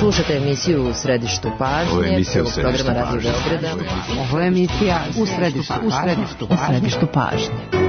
Slušate emisiju U središtu pažnje, prvog programa Radio Beograda. Ovo je emisija U središtu pažnje.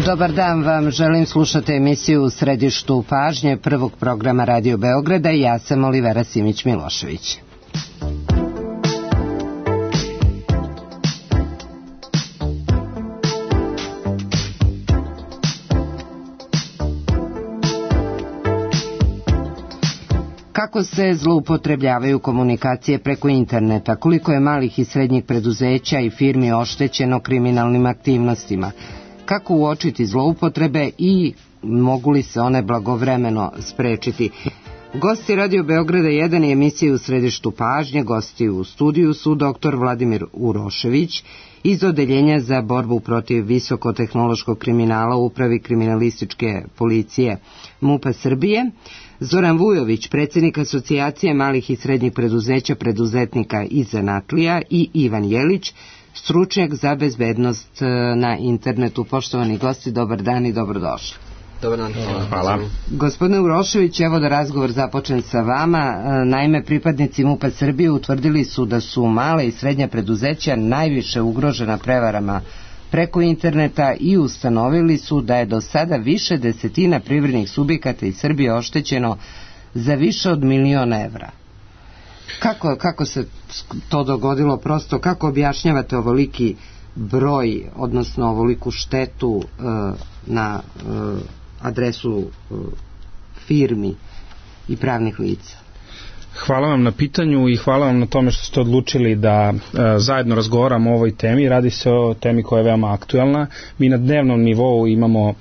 Dobar dan vam, želim slušati emisiju U središtu pažnje prvog programa Radio Beograda i ja sam Olivera Simić-Milošević. Kako se zloupotrebljavaju komunikacije preko interneta, koliko je malih i srednjih preduzeća i firmi oštećeno kriminalnim aktivnostima, kako uočiti zloupotrebe i mogu li se one blagovremeno sprečiti. Gosti Radio Beograda 1 i emisije U središtu pažnje, gosti u studiju su dr. Vladimir Urošević iz Odeljenja za borbu protiv visokotehnološkog kriminala u Upravi kriminalističke policije MUP-a Srbije, Zoran Vujović, predsjednik Asocijacije malih i srednjih preduzeća, preduzetnika i zanatlija i Ivan Jelić, stručnjak za bezbednost na internetu. Poštovani gosti, dobar dan i dobrodošli. Dobar dan, hvala. Gospodine Urošević, evo da razgovor započnem sa vama. Naime, pripadnici MUP-a Srbije utvrdili su da su mala i srednja preduzeća najviše ugrožena prevarama preko interneta i ustanovili su da je do sada više desetina privrednih subjekata iz Srbije oštećeno za više od 1.000.000 evra. Kako se to dogodilo, prosto kako objašnjavate ovoliki broj, odnosno ovoliku štetu na adresu firmi i pravnih lica? Hvala vam na pitanju i hvala vam na tome što ste odlučili da zajedno razgovaramo o ovoj temi. Radi se o temi koja je veoma aktuelna. Mi na dnevnom nivou imamo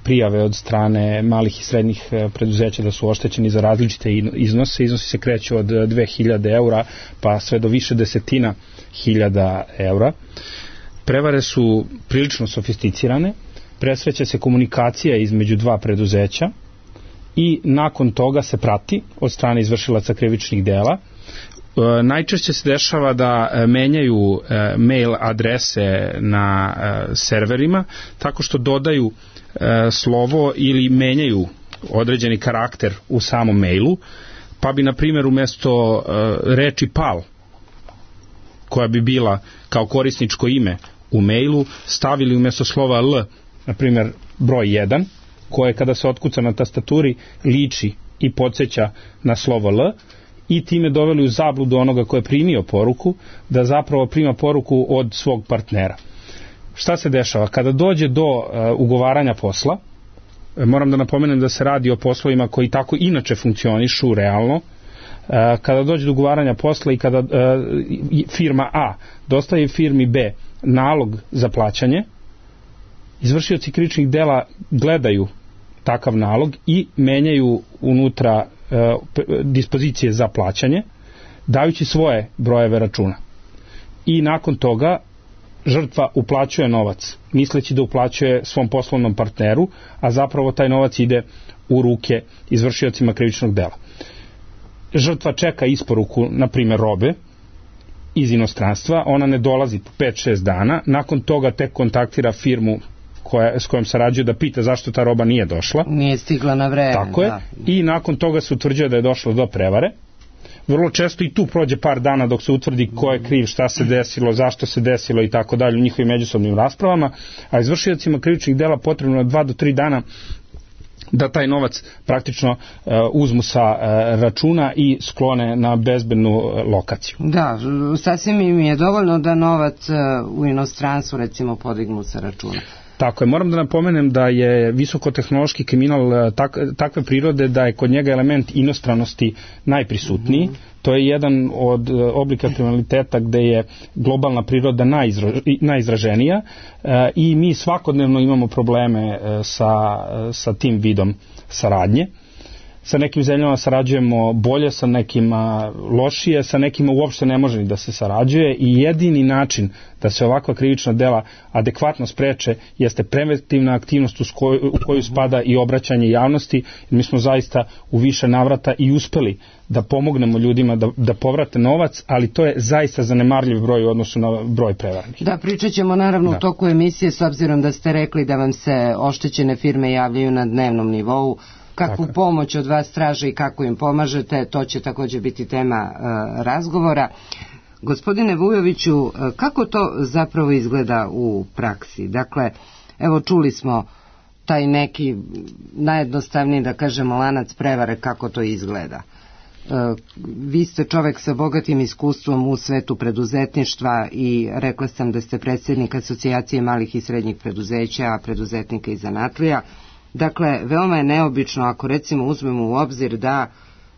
prijave od strane malih i srednjih preduzeća da su oštećeni za različite iznose. Iznosi se kreću od 2.000 eura pa sve do više desetina hiljada eura. Prevare su prilično sofisticirane, presreće se komunikacija između dva preduzeća i nakon toga se prati od strane izvršilaca krivičnih dela. Najčešće se dešava da menjaju mail adrese na serverima tako što dodaju slovo ili menjaju određeni karakter u samom mailu, pa bi na primjer umjesto reči PAL, koja bi bila kao korisničko ime u mailu, stavili umjesto slova L, na primjer broj 1, koje kada se otkuca na tastaturi liči i podsjeća na slovo L, i time doveli u zabludu onoga ko je primio poruku da zapravo prima poruku od svog partnera. Šta se dešava? Kada dođe do ugovaranja posla, moram da napomenem da se radi o poslovima koji tako inače funkcionišu realno, kada dođe do ugovaranja posla i kada firma A dostavi firmi B nalog za plaćanje, izvršioci krivičnih dela gledaju takav nalog i menjaju unutra dispozicije za plaćanje, dajući svoje brojeve računa. I nakon toga žrtva uplaćuje novac, misleći da uplaćuje svom poslovnom partneru, a zapravo taj novac ide u ruke izvršiocima krivičnog dela. Žrtva čeka isporuku, na primjer, robe iz inostranstva, ona ne dolazi po 5-6 dana, nakon toga tek kontaktira firmu s kojom sarađuje da pita zašto ta roba nije došla. Nije stigla na vreme. Tako je. I nakon toga se utvrđuje da je došlo do prevare. vrlo često i tu prođe par dana dok se utvrdi ko je kriv, šta se desilo, zašto se desilo i tako dalje u njihovim međusobnim raspravama, a izvršiocima krivičnih dela potrebno je 2 do 3 dana da taj novac praktično uzmu sa računa i sklone na bezbednu lokaciju. Da, sasvim im je dovoljno da novac u inostranstvu recimo podignu sa računa. Tako je, moram da napomenem da je visokotehnološki kriminal takve prirode da je kod njega element inostranosti najprisutniji. To je jedan od oblika kriminaliteta gde je globalna priroda najizraženija i mi svakodnevno imamo probleme sa tim vidom saradnje. Sa nekim zemljama sarađujemo bolje, sa nekima lošije, sa nekima uopšte ne može ni da se sarađuje i jedini način da se ovakva krivična dela adekvatno spreče jeste preventivna aktivnost u koju spada i obraćanje javnosti. Mi smo zaista u više navrata i uspeli da pomognemo ljudima da povrate novac, ali to je zaista zanemarljiv broj u odnosu na broj prevarnih. Da, pričat ćemo naravno u toku emisije, s obzirom da ste rekli da vam se oštećene firme javljaju na dnevnom nivou. Kakvu pomoć od vas traže i kako im pomažete, to će također biti tema razgovora. Gospodine Vujoviću, kako to zapravo izgleda u praksi? Dakle, evo čuli smo taj neki najjednostavniji, da kažemo, lanac prevare, kako to izgleda. Vi ste čovek sa bogatim iskustvom u svetu preduzetništva i rekla sam da ste predsjednik Asocijacije malih i srednjih preduzeća, preduzetnika i zanatlija. Dakle, veoma je neobično ako recimo uzmemo u obzir da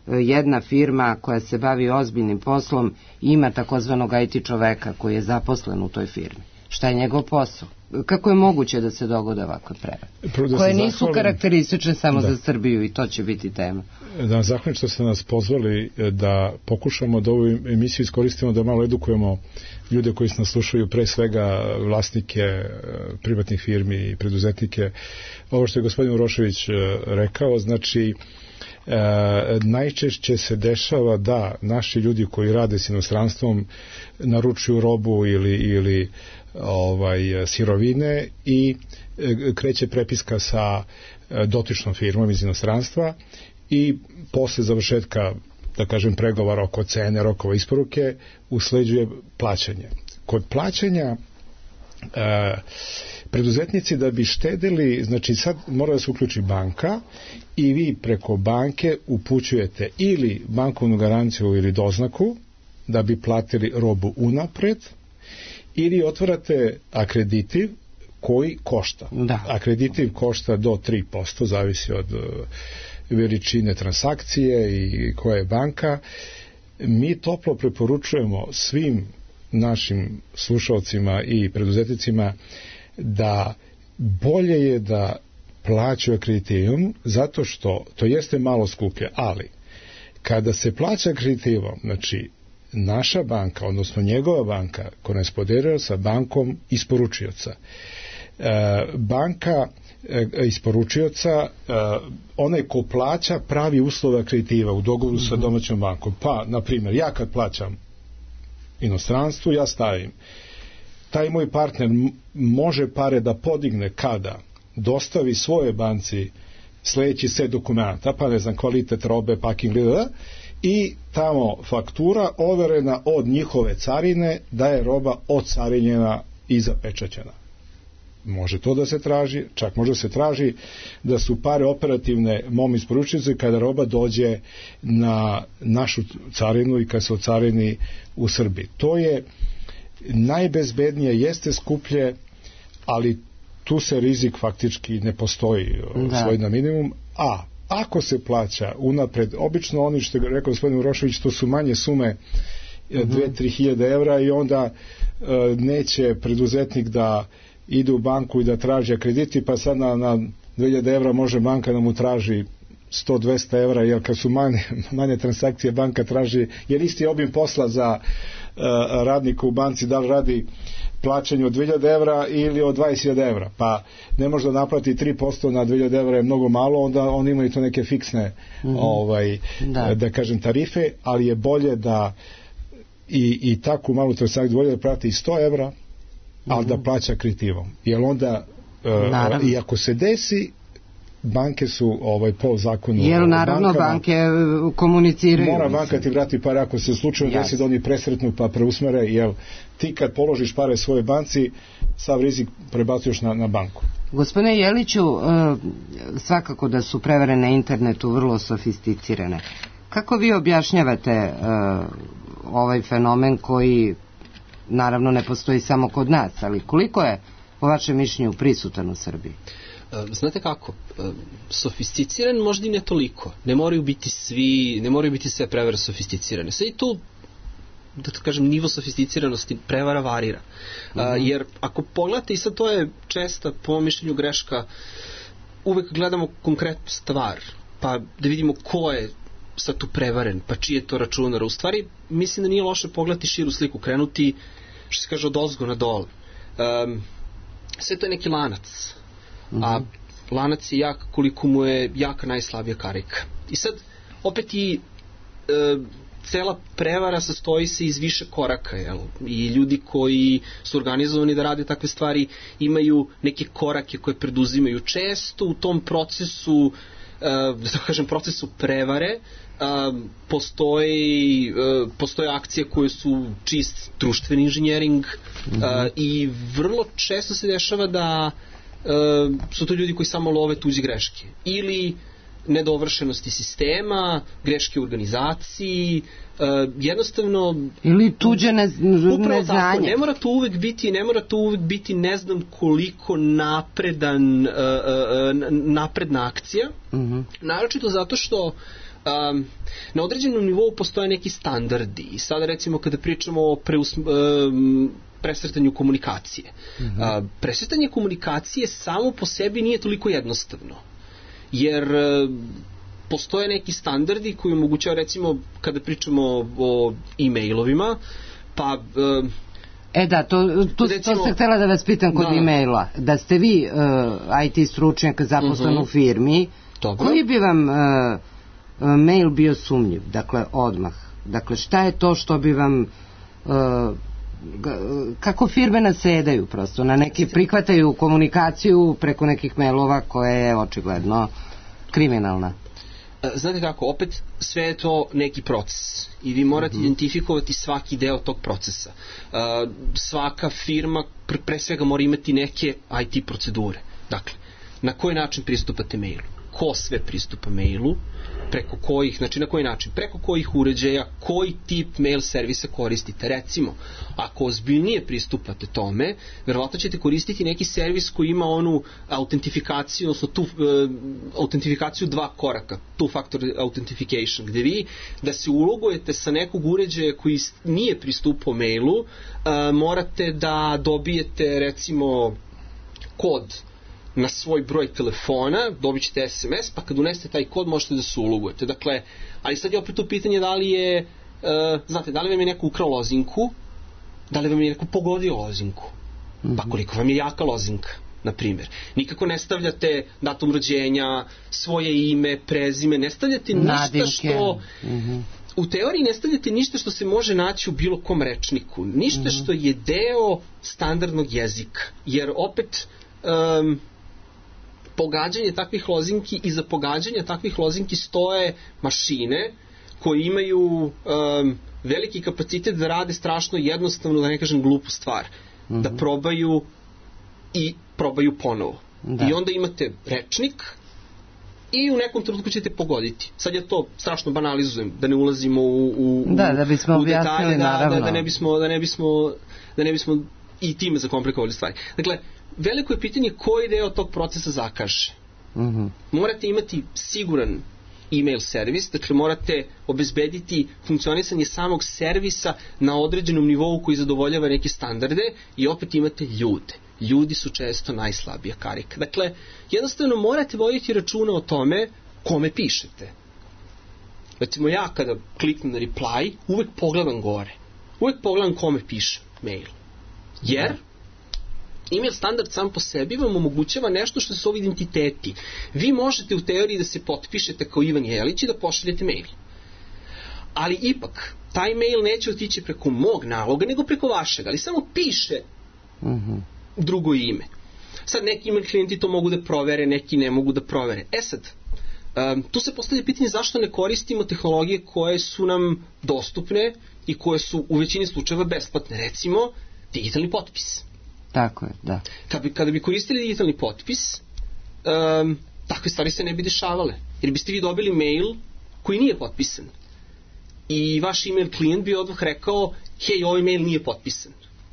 jedna firma koja se bavi ozbiljnim poslom ima takozvanog IT čoveka koji je zaposlen u toj firmi. Šta je njegov posao? Kako je moguće da se dogode ovakve prevare? Koje nisu karakteristične samo za Srbiju i to će biti tema. Da, zahvalim što ste nas pozvali da pokušamo da ovu emisiju iskoristimo da malo edukujemo ljude koji nas slušaju, pre svega vlasnike privatnih firmi i preduzetnike. Ovo što je gospodin Urošević rekao, znači najčešće se dešava da naši ljudi koji rade s inostranstvom naručuju robu ili sirovine i kreće prepiska sa dotičnom firmom iz inostranstva i posle završetka, da kažem, pregovora oko cene, rokova isporuke, usleđuje plaćanje. Kod plaćanja preduzetnici da bi štedili, znači sad mora da se uključi banka i vi preko banke upućujete ili bankovnu garanciju ili doznaku da bi platili robu unapred, ili otvarate akreditiv koji košta. Da. Akreditiv košta do 3%, zavisi od veličine transakcije i koja je banka. Mi toplo preporučujemo svim našim slušalcima i preduzetnicima da bolje je da plaćaju akreditivom, zato što to jeste malo skuplje, ali kada se plaća akreditivom, znači naša banka, odnosno njegova banka korespondiraju sa bankom isporučioca. Banka isporučioca, onaj ko plaća pravi uslove akreditiva u dogovoru sa domaćom bankom. Pa, na primjer, ja kad plaćam inostranstvu, ja stavim taj moj partner može pare da podigne kada dostavi svoje banci sledeći set dokumenta, pa ne znam, kvalitet robe, packing, i tamo faktura overena od njihove carine da je roba odcarinjena i zapečaćena. Može to da se traži, čak može se traži da su pare operativne mom isporučiocu kada roba dođe na našu carinu i kad se ocarini u Srbiji. To je najbezbednije, jeste skuplje, ali tu se rizik faktički ne postoji, svoj na minimum, a ako se plaća unapred, obično oni što je rekao gospodin Urošević, to su manje sume, 2-3 hiljade evra, i onda neće preduzetnik da ide u banku i da traži krediti, pa sad na 2000 evra može banka da mu traži 100-200 evra, jer kad su manje transakcije banka traži, jer isti obim posla za radnika u banci, da li radi plaćanje od 2000 evra ili od 20.000 evra, pa ne može da naplati 3% na 2000 evra, je mnogo malo, onda oni imaju to neke fiksne da kažem tarife, ali je bolje da i takvu malu transakciju bolje da plati 100 evra, ali da plaća akreditivom, jer onda i ako se desi banke su po zakonu... Jer naravno banke komuniciraju. Mora banka ti vrati pare ako se slučajno desi da oni presretnu pa preusmere, jer ti kad položiš pare svoje banci, sav rizik prebacuješ na banku. Gospodine Jeliću, svakako da su prevare na internetu vrlo sofisticirane. Kako vi objašnjavate ovaj fenomen koji naravno ne postoji samo kod nas, ali koliko je po vašem mišljenju prisutan u Srbiji? Znate kako, sofisticiran možda i ne toliko. Ne moraju biti sve prevare sofisticirane. Sve i tu, da to kažem, nivo sofisticiranosti prevara varira. Jer ako pogledate, i sad to je česta, po mom mišljenju, greška, uvek gledamo konkretnu stvar, pa da vidimo ko je sad tu prevaren, pa čiji je to računar. U stvari, mislim da nije loše pogledati širu sliku, krenuti, što se kaže, od ozgo na dole. Sve to je neki lanac. A lanac je jak koliko mu je jaka najslabija karika. I sad, opet i cela prevara sastoji se iz više koraka, jel? I ljudi koji su organizovani da rade takve stvari imaju neke korake koje preduzimaju. Često u tom procesu, da tako kažem, procesu prevare, postoje akcije koje su čist društveni inženjering i vrlo često se dešava da su to ljudi koji samo love tuđe greške ili nedovršenosti sistema, greške u organizaciji, jednostavno ili tuđe neznanje. Tako, ne mora to uvek biti ne znam koliko napredna akcija, naročito zato što na određenom nivou postoje neki standardi. I sada recimo kada pričamo o presretanju komunikacije. Presretanje komunikacije samo po sebi nije toliko jednostavno. Jer postoje neki standardi koji omogućava, recimo, kada pričamo o e-mailovima, pa... To sam htjela da vas pitam kod e-maila. Da ste vi IT stručnjak zaposlen u firmi, koji bi vam mail bio sumnjiv? Dakle, odmah. Dakle, šta je to što bi vam... kako firme nasedaju prosto, na neki prihvataju komunikaciju preko nekih mailova koja je očigledno kriminalna. Znate kako, opet sve je to neki proces i vi morate identifikovati svaki deo tog procesa. Svaka firma pre svega mora imati neke IT procedure. Dakle, na koji način pristupate mailu? Ko sve pristupa mailu? Preko kojih, znači na koji način, preko kojih uređaja, koji tip mail servisa koristite. Recimo, ako ozbiljnije pristupate tome, verovatno ćete koristiti neki servis koji ima onu autentifikaciju, odnosno tu autentifikaciju 2 koraka, two-factor authentication, gde vi da se ulogujete sa nekog uređaja koji nije pristupao mailu, morate da dobijete recimo kod na svoj broj telefona, dobit ćete SMS, pa kad unesete taj kod možete da se ulogujete. Dakle, ali sad je opet u pitanje da li je, znate, da li vam je neko ukrao lozinku, da li vam je neko pogodio lozinku, pa koliko vam je jaka lozinka, na primjer. Nikako ne stavljate datum rođenja, svoje ime, prezime, ne stavljate ništa što... U teoriji ne stavljate ništa što se može naći u bilo kom rečniku, ništa što je deo standardnog jezika, jer opet... pogađanje takvih lozinki i za pogađanje takvih lozinki stoje mašine koje imaju veliki kapacitet da rade strašno jednostavno, da ne kažem glupu stvar, da probaju i probaju ponovo. I onda imate rečnik i u nekom trenutku ćete pogoditi. Sad ja to strašno banalizujem, da ne ulazimo u detalje, da ne bismo i time zakomplikovali stvari. Dakle, veliko je pitanje koji deo tog procesa zakaže. Morate imati siguran e-mail servis, dakle morate obezbediti funkcionisanje samog servisa na određenom nivou koji zadovoljava neke standarde i opet imate ljude. Ljudi su često najslabija karika. Dakle, jednostavno morate voditi računa o tome kome pišete. Recimo ja kada kliknem na reply, uvek pogledam gore. Uvek pogledam kome piše mail. Jer e-mail standard sam po sebi vam omogućava nešto što se zove identiteti. Vi možete u teoriji da se potpišete kao Ivan Jelić i da pošaljete mail. Ali ipak, taj mail neće otići preko mog naloga, nego preko vašeg, ali samo piše drugo ime. Sad neki email klijenti to mogu da provere, neki ne mogu da provere. Sad, tu se postavlja pitanje zašto ne koristimo tehnologije koje su nam dostupne i koje su u većini slučajeva besplatne. Recimo, digitalni potpis. Tako je, da. Kada bi koristili digitalni potpis, takve stvari se ne bi dešavale. Jer biste vi dobili mail koji nije potpisan. I vaš email klijent bi odmah rekao, hej, ovaj mail nije potpisan.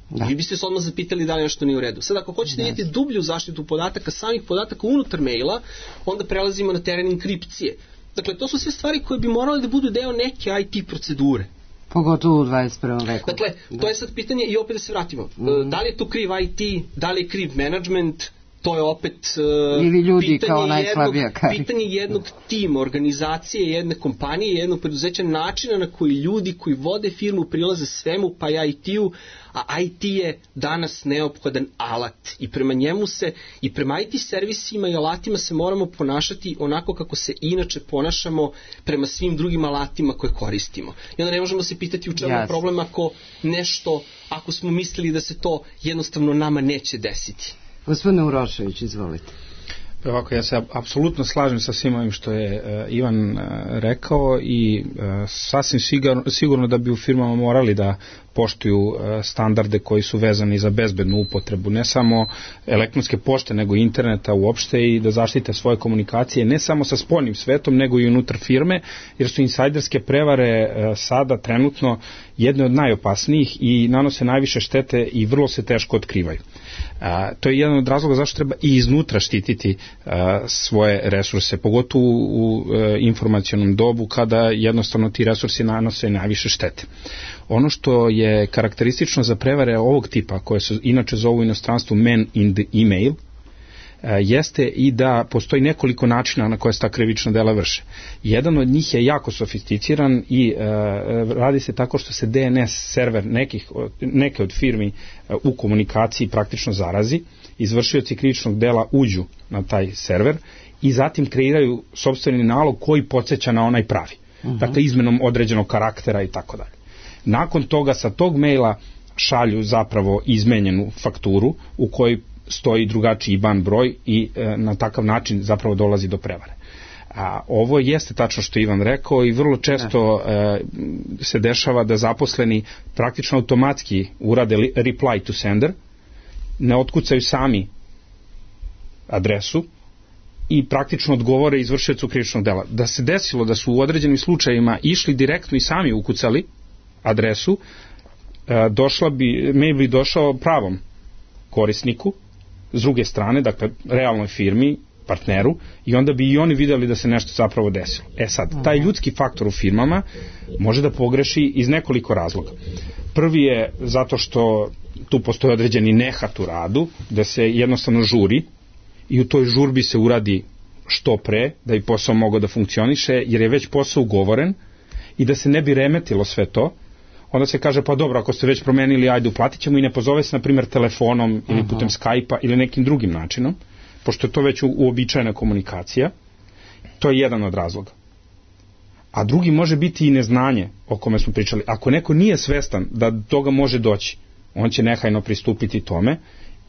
Da. Vi biste se odmah zapitali da li nešto nije u redu. Sad, ako hoćete da idete dublju zaštitu podataka, samih podataka unutar maila, onda prelazimo na teren enkripcije. Dakle, to su sve stvari koje bi morale da budu deo neke IT procedure. Pogotovo u 21. veku. Dakle, to je sad pitanje i opet da se vratimo. Da li je tu kriv IT, da li je kriv management, to je opet ili ljudi kao najslabija pitanje jednog tima, organizacije, jedne kompanije, jednog preduzeća, načina na koji ljudi koji vode firmu prilaze svemu, pa i IT-u, a IT je danas neophodan alat i prema njemu se, i prema IT servisima i alatima se moramo ponašati onako kako se inače ponašamo prema svim drugim alatima koje koristimo. I onda ne možemo se pitati u čemu je problem ako smo mislili da se to jednostavno nama neće desiti. Gospodine Urošević, izvolite. Ovako, ja se apsolutno slažem sa svim ovim što je Ivan rekao i sasvim sigurno da bi u firmama morali da poštuju standarde koji su vezani za bezbednu upotrebu, ne samo elektronske pošte, nego interneta uopšte, i da zaštite svoje komunikacije ne samo sa spoljnim svetom, nego i unutar firme, jer su insajderske prevare sada trenutno jedne od najopasnijih i nanose najviše štete i vrlo se teško otkrivaju. To je jedan od razloga zašto treba i iznutra štititi svoje resurse, pogotovo u informacionom dobu kada jednostavno ti resursi nanose najviše štete. Ono što je karakteristično za prevare ovog tipa, koje se inače zovu u inostranstvu man in the email, jeste i da postoji nekoliko načina na koje se ta krivična dela vrše. Jedan od njih je jako sofisticiran i radi se tako što se DNS server neke od firmi u komunikaciji praktično zarazi, izvršioci krivičnog dela uđu na taj server i zatim kreiraju sopstveni nalog koji podsjeća na onaj pravi. Dakle, izmenom određenog karaktera i tako dalje. Nakon toga sa tog maila šalju zapravo izmenjenu fakturu u kojoj stoji drugačiji IBAN broj i na takav način zapravo dolazi do prevare. Ovo jeste tačno što Ivan rekao i vrlo često se dešava da zaposleni praktično automatski urade reply to sender, ne otkucaju sami adresu i praktično odgovore izvršiocu krivičnog dela. Da se desilo da su u određenim slučajevima išli direktno i sami ukucali adresu, mail bi došao pravom korisniku, s druge strane, dakle, realnoj firmi, partneru, i onda bi i oni videli da se nešto zapravo desilo. Sad, taj ljudski faktor u firmama može da pogreši iz nekoliko razloga. Prvi je zato što tu postoji određeni nehat u radu, da se jednostavno žuri i u toj žurbi se uradi što pre, da bi posao mogao da funkcioniše, jer je već posao ugovoren, i da se ne bi remetilo sve to, onda se kaže, pa dobro, ako ste već promenili, ajde, uplatit ćemo, i ne pozove se, na primjer, telefonom ili putem Skype-a ili nekim drugim načinom, pošto je to već uobičajena komunikacija. To je jedan od razloga. A drugi može biti i neznanje o kome smo pričali. Ako neko nije svestan da do toga može doći, on će nehajno pristupiti tome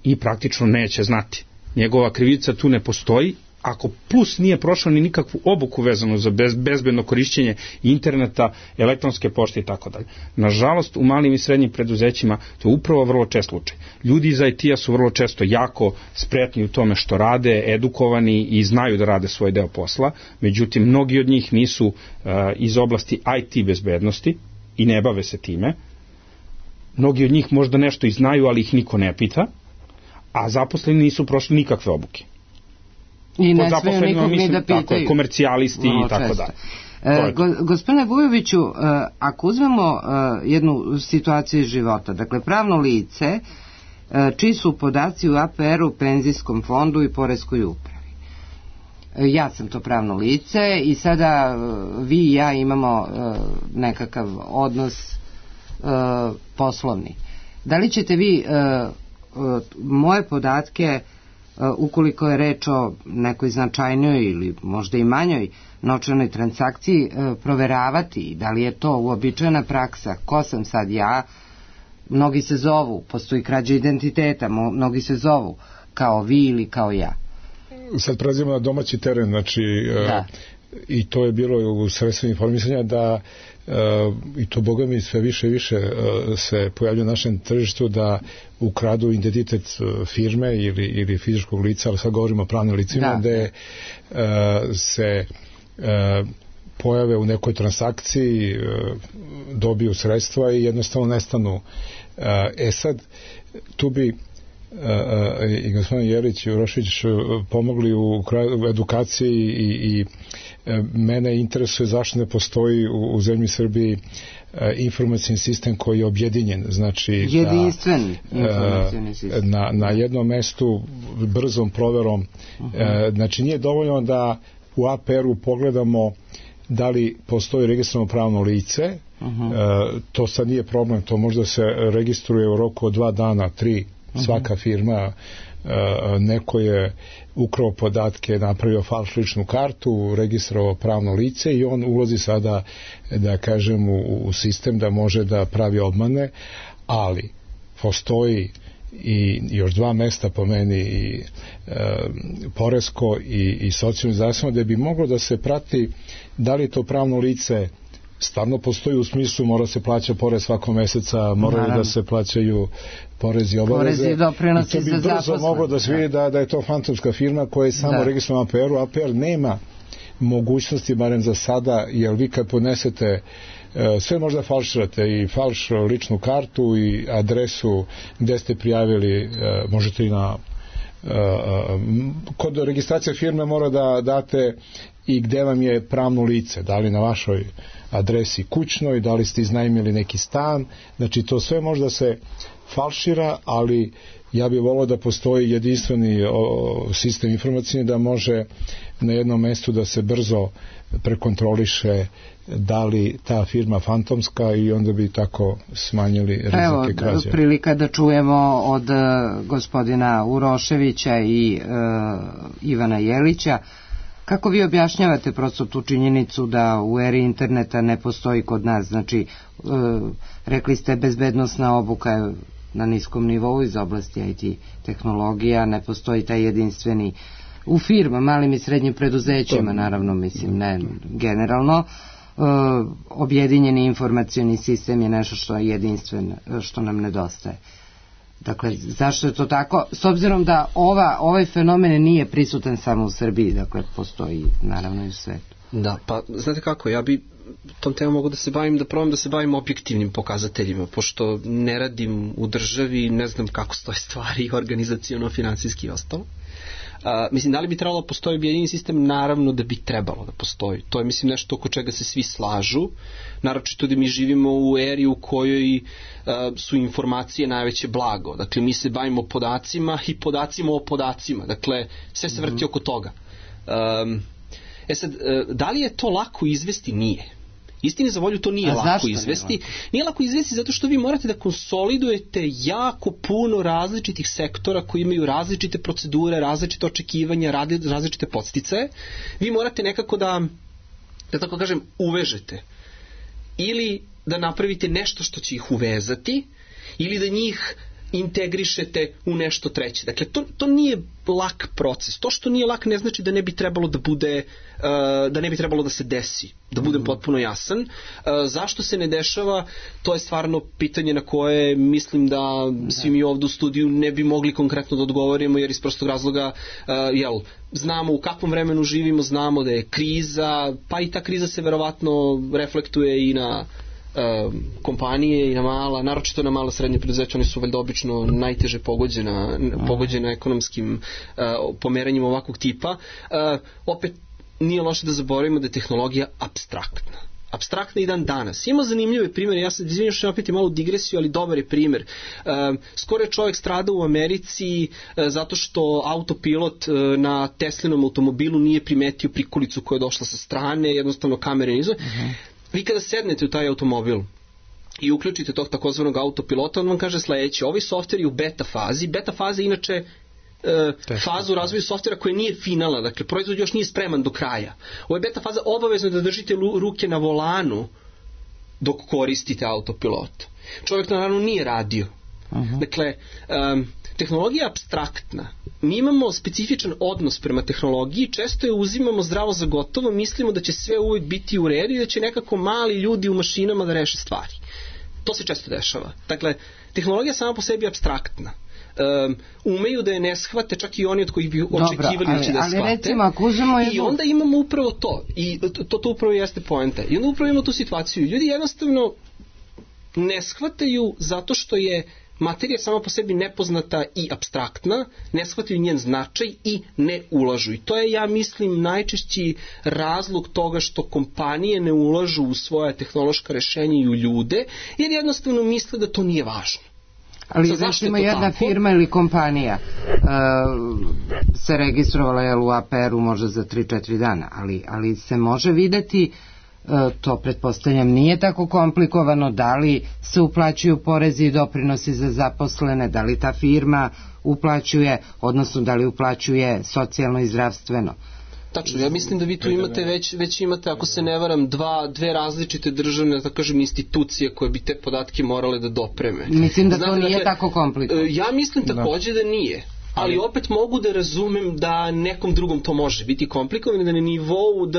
i praktično neće znati. Njegova krivica tu ne postoji, ako plus nije prošao ni nikakvu obuku vezanu za bezbedno korišćenje interneta, elektronske pošte i tako dalje. Nažalost, u malim i srednjim preduzećima to je upravo vrlo čest slučaj. Ljudi iz IT-a su vrlo često jako spretni u tome što rade, edukovani i znaju da rade svoj deo posla, međutim, mnogi od njih nisu iz oblasti IT bezbednosti i ne bave se time. Mnogi od njih možda nešto i znaju, ali ih niko ne pita, a zaposleni nisu prošli nikakve obuke. I ne smeju nikog ni da pitaju. Tako, komercijalisti i tako dalje. Gospodine Vujoviću, ako uzmemo jednu situaciju iz života, dakle pravno lice, čiji su podaci u APR-u, penzijskom fondu i poreskoj upravi. Ja sam to pravno lice i sada vi i ja imamo nekakav odnos poslovni. Da li ćete vi moje podatke, ukoliko je reč o nekoj značajnoj ili možda i manjoj novčanoj transakciji, proveravati? Da li je to uobičajena praksa? Ko sam sad ja? Mnogi se zovu, postoji krađa identiteta, mnogi se zovu. kao vi ili kao ja. Sad prelazimo na domaći teren, znači i to je bilo u sredstvima informisanja da i to boga mi sve više i više se pojavlja na našem tržištu da ukradu identitet firme ili fizičkog lica, ali sad govorimo o pravnim licima, gde se pojave u nekoj transakciji, dobiju sredstva i jednostavno nestanu. Sad, tu bi i gospodin Jelić i Urošević pomogli u edukaciji i mene interesuje zašto ne postoji u zemlji Srbiji informacijni sistem koji je objedinjen, znači jedinstven informacijni sistem na jednom mestu brzom proverom. Znači nije dovoljno da u APR-u pogledamo da li postoji registrovano pravno lice, to sad nije problem, to možda se registruje u roku od 2 dana, 3, svaka firma, neko je ukrao podatke, napravio falš ličnu kartu, registrovao pravno lice i on ulazi sada, da kažem, u sistem da može da pravi obmane, ali postoji i još 2 mesta po meni, i poresko i socijalno zdravstveno, da bi moglo da se prati da li to pravno lice stvarno postoji, u smislu mora se plaća porez svakog meseca, moraju da se plaćaju porezi i obaveze, i to bi brzo moglo da se vidi da je to fantomska firma koja je samo registrovana APR-u. APR nema mogućnosti, barem za sada, jer vi kad podnesete sve možda falširate, i falš ličnu kartu i adresu gde ste prijavili, možete i na kod registracije firme mora da date i gde vam je pravno lice, da li na vašoj adresi kućnoj, da li ste iznajmili neki stan, znači to sve možda se falšira, ali ja bih volio da postoji jedinstveni sistem informacijni da može na jednom mestu da se brzo prekontroliše da li ta firma fantomska, i onda bi tako smanjili rizike krađe. Evo, prilika da čujemo od gospodina Uroševića i Ivana Jelića. Kako vi objašnjavate prosto tu činjenicu da u eri interneta ne postoji kod nas, znači rekli ste bezbednosna obuka je na niskom nivou iz oblasti IT tehnologija, ne postoji taj jedinstveni u firma, malim i srednjim preduzećima, naravno, mislim, ne generalno, objedinjeni informacioni sistem je nešto što je jedinstven, što nam nedostaje. Dakle, zašto je to tako? S obzirom da ovaj fenomen nije prisutan samo u Srbiji, dakle, postoji naravno i u svetu. Da, pa znate kako, ja bi tom temom mogu da se bavim, da probam da se bavim objektivnim pokazateljima, pošto ne radim u državi, ne znam kako stoje stvari organizaciono, finansijski i ostalo. Mislim, da li bi trebalo da postoji objedinjeni sistem? Naravno da bi trebalo da postoji. To je, mislim, nešto oko čega se svi slažu, naročito da mi živimo u eri u kojoj su informacije najveće blago. Dakle, mi se bavimo podacima i podacima o podacima. Dakle, sve se vrti oko toga. Sad, da li je to lako izvesti? Nije. Istini za volju, to nije lako izvesti. Nije lako izvesti zato što vi morate da konsolidujete jako puno različitih sektora koji imaju različite procedure, različite očekivanja, različite podsticaje. Vi morate nekako da tako kažem, uvežete. Ili da napravite nešto što će ih uvezati, ili da njih integrišete u nešto treće. Dakle, to nije lak proces. To što nije lak ne znači da ne bi trebalo da bude, da ne bi trebalo da se desi. Da budem potpuno jasan. Zašto se ne dešava, to je stvarno pitanje na koje mislim da svi mi ovdje u studiju ne bi mogli konkretno da odgovorimo, jer iz prostog razloga, znamo u kakvom vremenu živimo, znamo da je kriza, pa i ta kriza se verovatno reflektuje i na kompanije i na mala, naročito na mala srednje preduzeća, oni su valjda obično najteže pogođena ekonomskim pomeranjem ovakvog tipa. Opet nije loše da zaboravimo da je tehnologija apstraktna i dan danas. Ima zanimljive primjere, ja se izvinjam što opet je malo digresiju, ali dobar je primjer. Skoro je čovjek stradao u Americi zato što autopilot na Teslinom automobilu nije primetio prikolicu koja je došla sa strane, jednostavno kamere nizu. Vi kada sednete u taj automobil i uključite tog takozvanog autopilota, on vam kaže sledeće: ovaj softver je u beta fazi. Beta faza je inače faza u razvoju softvera koja nije finalna, dakle proizvod još nije spreman do kraja. Ovo je beta faza, obavezno da držite ruke na volanu dok koristite autopilot. Čovjek naravno nije radio. Dakle, tehnologija je apstraktna. Mi imamo specifičan odnos prema tehnologiji, često je uzimamo zdravo za gotovo, mislimo da će sve uvijek biti u redu i da će nekako mali ljudi u mašinama da reše stvari. To se često dešava. Dakle, tehnologija sama po sebi je apstraktna. Umeju da je ne shvate čak i oni od kojih bi očekivali će da shvate. Recimo, i onda imamo upravo to. I to upravo jeste poenta. I onda upravo imamo tu situaciju. Ljudi jednostavno ne shvataju zato što je materija sama po sebi nepoznata i apstraktna, ne shvataju njen značaj i ne ulažu. I to je, ja mislim, najčešći razlog toga što kompanije ne ulažu u svoja tehnološka rešenja i u ljude, jer jednostavno misle da to nije važno. Ali recimo jedna firma ili kompanija se registrovala u APR-u možda za 3-4 dana, ali se može videti, to pretpostavljam nije tako komplikovano, da li se uplaćuju porezi i doprinosi za zaposlene, da li ta firma uplaćuje, odnosno da li uplaćuje socijalno i zdravstveno. Tačno, ja mislim da vi tu imate već imate, ako se ne varam, dve različite državne, da kažem, institucije koje bi te podatke morale da dopreme. Mislim da to nije tako komplikovano. Ja mislim takođe da nije. Ali opet mogu da razumem da nekom drugom to može biti komplikovano, da na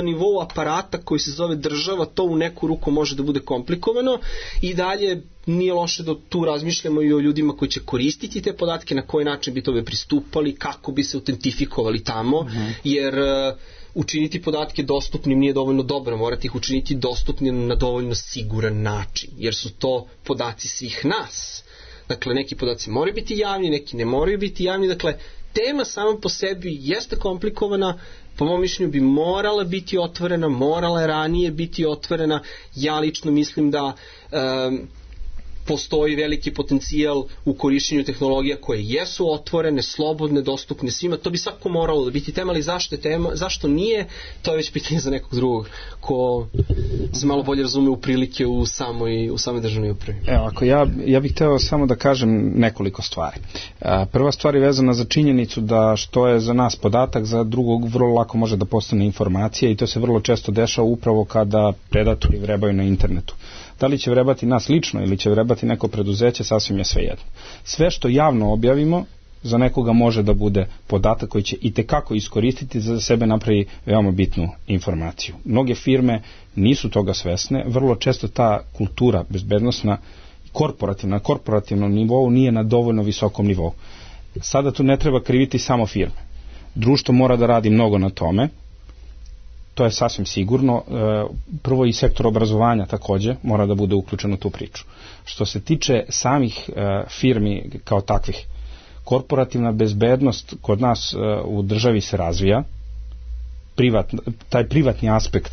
nivou aparata koji se zove država to u neku ruku može da bude komplikovano i dalje nije loše da tu razmišljamo i o ljudima koji će koristiti te podatke, na koji način bi tobe pristupali, kako bi se autentifikovali tamo, jer učiniti podatke dostupnim nije dovoljno dobro, morate ih učiniti dostupnim na dovoljno siguran način, jer su to podaci svih nas. Dakle, neki podaci moraju biti javni, neki ne moraju biti javni. Dakle, tema sama po sebi jeste komplikovana, po mom mišljenju bi morala biti otvorena, morala je ranije biti otvorena. Ja lično mislim da postoji veliki potencijal u korišćenju tehnologija koje jesu otvorene, slobodne, dostupne svima. To bi svako moralo da biti tema, ali zašto nije, to je već pitanje za nekog drugog ko se malo bolje razume u prilike u samoj državnoj upravi. Evo, ja bih hteo samo da kažem nekoliko stvari. Prva stvar je vezana za činjenicu da što je za nas podatak, za drugog vrlo lako može da postane informacija i to se vrlo često dešava upravo kada predatori vrebaju na internetu. Da li će vrebati nas lično ili će vrebati neko preduzeće, sasvim je svejedno. Sve što javno objavimo za nekoga može da bude podatak koji će itekako iskoristiti za sebe napravi veoma bitnu informaciju. Mnoge firme nisu toga svesne, vrlo često ta kultura bezbednosna na korporativnom nivou nije na dovoljno visokom nivou. Sada tu ne treba kriviti samo firme. Društvo mora da radi mnogo na tome. To je sasvim sigurno. Prvo i sektor obrazovanja takođe mora da bude uključen u tu priču. Što se tiče samih firmi kao takvih, korporativna bezbednost kod nas u državi se razvija, taj privatni aspekt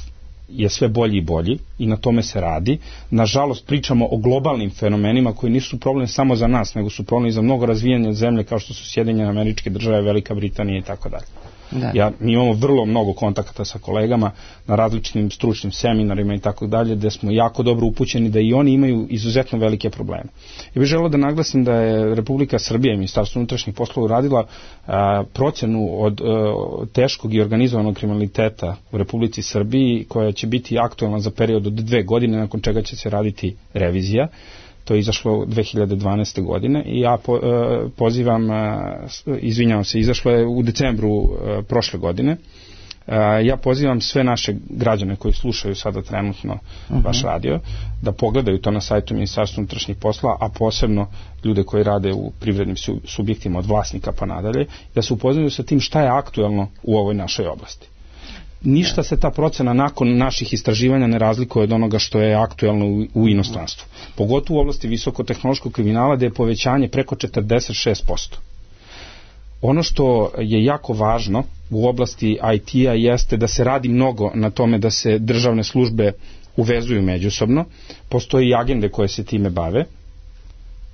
je sve bolji i bolji i na tome se radi. Nažalost, pričamo o globalnim fenomenima koji nisu problem samo za nas, nego su problem i za mnogo razvijanja zemlje kao što su Sjedinjene Američke Države, Velika Britanija i tako dalje. Mi imamo vrlo mnogo kontakata sa kolegama na različitim stručnim seminarima i tako dalje, gde smo jako dobro upućeni da i oni imaju izuzetno velike probleme. Ja bih želeo da naglasim da je Republika Srbija i Ministarstvo unutrašnjih poslova uradila procenu od teškog i organizovanog kriminaliteta u Republici Srbiji, koja će biti aktualna za period od 2 godine, nakon čega će se raditi revizija. To je izašlo 2012. godine i ja pozivam, izvinjavam se, izašlo je u decembru prošle godine. Ja pozivam sve naše građane koji slušaju sada trenutno vaš radio da pogledaju to na sajtu Ministarstva unutrašnjih poslova, a posebno ljude koji rade u privrednim subjektima od vlasnika pa nadalje, da se upoznaju sa tim šta je aktuelno u ovoj našoj oblasti. Ništa se ta procena nakon naših istraživanja ne razlikuje od onoga što je aktuelno u inostranstvu. Pogotovo u oblasti visokotehnološkog kriminala gde je povećanje preko 46%. Ono što je jako važno u oblasti IT-a jeste da se radi mnogo na tome da se državne službe uvezuju međusobno. Postoji i agende koje se time bave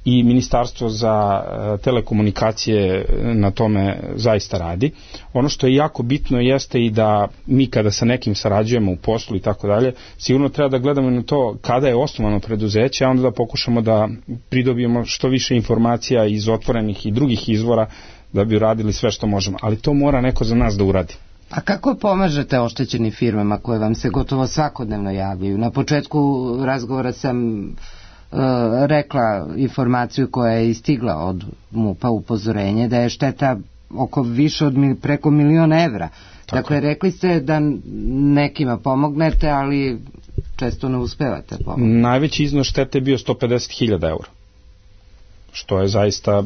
i Ministarstvo za telekomunikacije na tome zaista radi. Ono što je jako bitno jeste i da mi kada sa nekim sarađujemo u poslu i tako dalje, sigurno treba da gledamo na to kada je osnovano preduzeće, a onda da pokušamo da pridobijemo što više informacija iz otvorenih i drugih izvora da bi uradili sve što možemo. Ali to mora neko za nas da uradi. A kako pomažete oštećenim firmama koje vam se gotovo svakodnevno javljaju? Na početku razgovora sam rekla informaciju koja je istigla od MUP-a, upozorenje da je šteta oko više od preko 1.000.000 evra. Dakle, rekli ste da nekima pomognete, ali često ne uspevate pomoći. Najveći iznos štete je bio 150.000 evra, što je zaista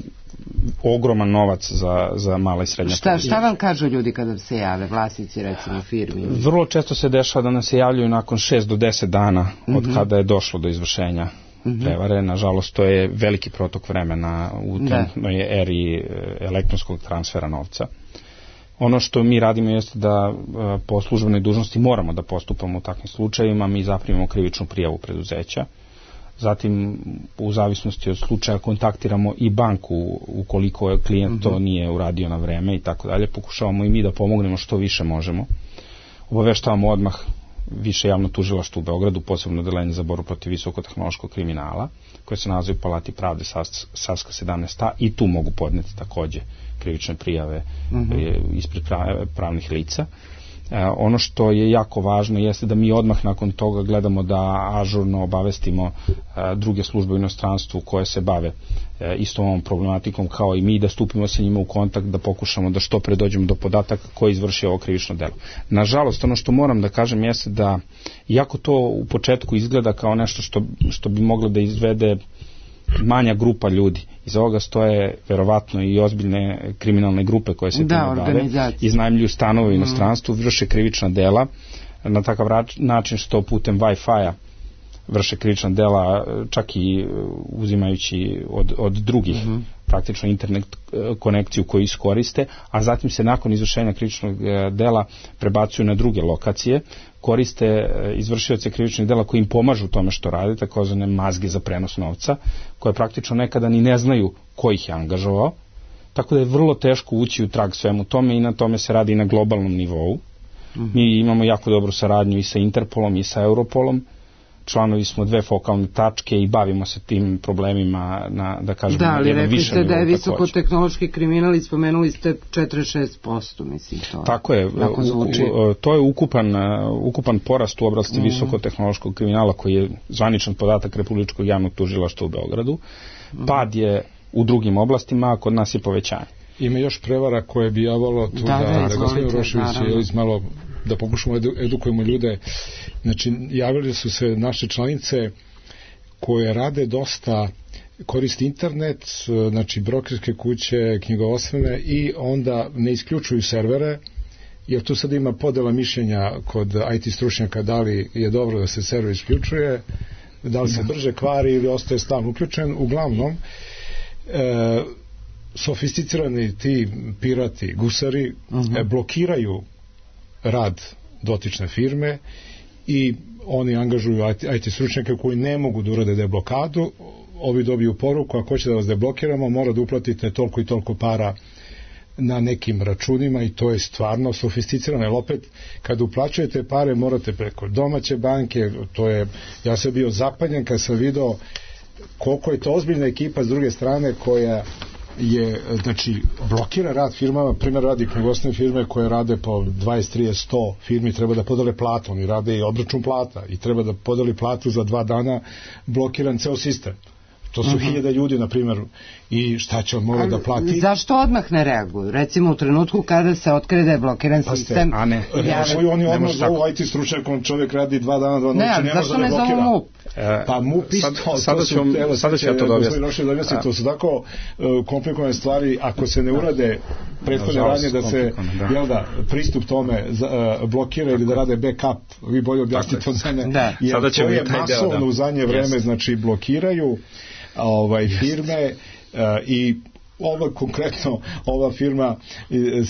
ogroman novac za mala i srednja preduzeća. Šta vam kažu ljudi kada se jave, vlasnici recimo firmi? Vrlo često se dešava da nam se javljaju nakon 6 do 10 dana od kada je došlo do izvršenja prevare. Nažalost, to je veliki protok vremena u trenutnoj eri elektronskog transfera novca. Ono što mi radimo jeste da po službenoj dužnosti moramo da postupamo u takvim slučajevima, mi zaprimimo krivičnu prijavu preduzeća. Zatim, u zavisnosti od slučaja, kontaktiramo i banku ukoliko je klijent to nije uradio na vreme i tako dalje. Pokušavamo i mi da pomognemo što više možemo. Obaveštavamo odmah Više javno tužilaštvo u Beogradu, posebno odeljenje za borbu protiv visokotehnološkog kriminala, koje se nalazi u Palati pravde Savska 17a, i tu mogu podneti takođe krivične prijave ispred pravnih lica. Ono što je jako važno jeste da mi odmah nakon toga gledamo da ažurno obavestimo druge službe u inostranstvu koje se bave istom ovom problematikom kao i mi, da stupimo sa njima u kontakt, da pokušamo da što pre dođemo do podataka ko izvrši ovo krivično delo. Nažalost, ono što moram da kažem jeste da, iako to u početku izgleda kao nešto što bi moglo da izvede manja grupa ljudi, iz ovoga stoje verovatno i ozbiljne kriminalne grupe koje se time bave, iznajmljuju stanove u inostranstvu, vrše krivična dela na takav način što putem Wi-Fi-a vrše krivična dela, čak i uzimajući od drugih praktično internet konekciju koju iskoriste, a zatim se nakon izvršenja krivičnog dela prebacuju na druge lokacije, koriste izvršioce krivičnih dela koji im pomažu u tome što rade, takozvane mazge za prenos novca, koje praktično nekada ni ne znaju ko ih je angažovao, tako da je vrlo teško ući u trag svemu tome i na tome se radi i na globalnom nivou. Mi imamo jako dobru saradnju i sa Interpolom i sa Europolom, članovi smo 2 fokalne tačke i bavimo se tim problemima na, da kažem, na jednom višem nivou. Da, ali rekli ste da je visokotehnološki kriminal i spomenuli ste 46%, mislim to. Tako je, to je ukupan porast u oblasti visokotehnološkog kriminala koji je zvaničan podatak Republičkog javnog tužilaštva u Beogradu. Pad je u drugim oblastima, a kod nas je povećanje. Ima još prevara koje bi javalo tu da gospodin Rošević malo da pokušamo edukujemo ljude. Znači, javili su se naše članice koje rade dosta, koriste internet, znači brokerske kuće, knjigovodstvene, i onda ne isključuju servere, jer tu sad ima podela mišljenja kod IT stručnjaka da li je dobro da se server isključuje, da li se brže kvari ili ostaje stalno uključen. Uglavnom, sofisticirani ti pirati, gusari, blokiraju rad dotične firme i oni angažuju IT stručnjake koji ne mogu da urade deblokadu. Ovi dobiju poruku: ako hoće da vas deblokiramo, mora da uplatite toliko i toliko para na nekim računima, i to je stvarno sofisticirano, jer opet kad uplaćujete pare morate preko domaće banke. To je, ja sam bio zapanjen kad sam video koliko je to ozbiljna ekipa s druge strane koja je, znači, blokira rad firmama. Primjer, radi knjigovodstvene firme koje rade po 20, 30, 100 firmi, treba da podele platu, oni rade i obračun plata i treba da podeli platu za 2 dana, blokiran ceo sistem. To su 1000 ljudi, na primjer, i šta će on mora da plati? Zašto odmah ne reaguju? Recimo u trenutku kada se otkrije da je blokiran sistem. Oni odmah zovu IT stručnjakom, čovjek radi 2 dana, 2 noći, ne može da ne blokira. MUP? Pa MUP isto. Sada ću ja to objasniti. To su tako komplikovane stvari, ako se ne urade prethodne radnje da se pristup tome blokira ili da rade backup, vi bolje objasnite od mene, jer to je masovno u zadnje vreme, znači blokiraju firme. I konkretno ova firma